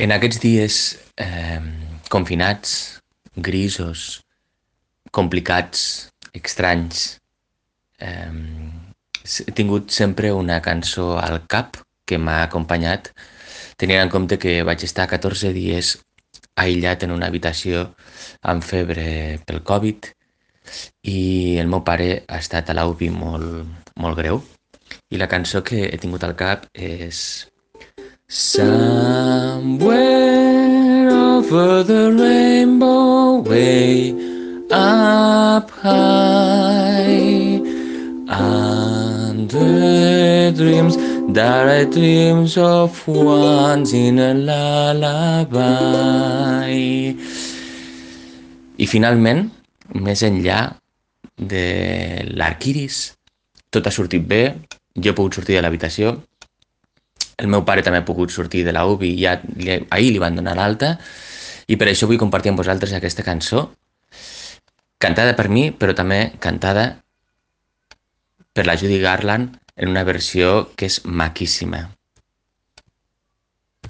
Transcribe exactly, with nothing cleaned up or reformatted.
En aquests dies eh, confinats, grisos, complicats, estranys, eh, he tingut sempre una cançó al cap que m'ha acompanyat, tenint en compte que vaig estar catorze dies aïllat en una habitació amb febre pel Covid i el meu pare ha estat a l'U B I molt, molt greu. I la cançó que he tingut al cap és Somewhere over the rainbow, way up high, under dreams that are dreams of once in a lullaby. I finalment, més enllà de l'arc iris, tot ha sortit bé, jo he pogut sortir de l'habitació, el meu pare també ha pogut sortir de la U B I, ja, li, ahir li van donar l'alta, i per això vull compartir amb vosaltres aquesta cançó, cantada per mi, però també cantada per la Judy Garland en una versió que és maquíssima.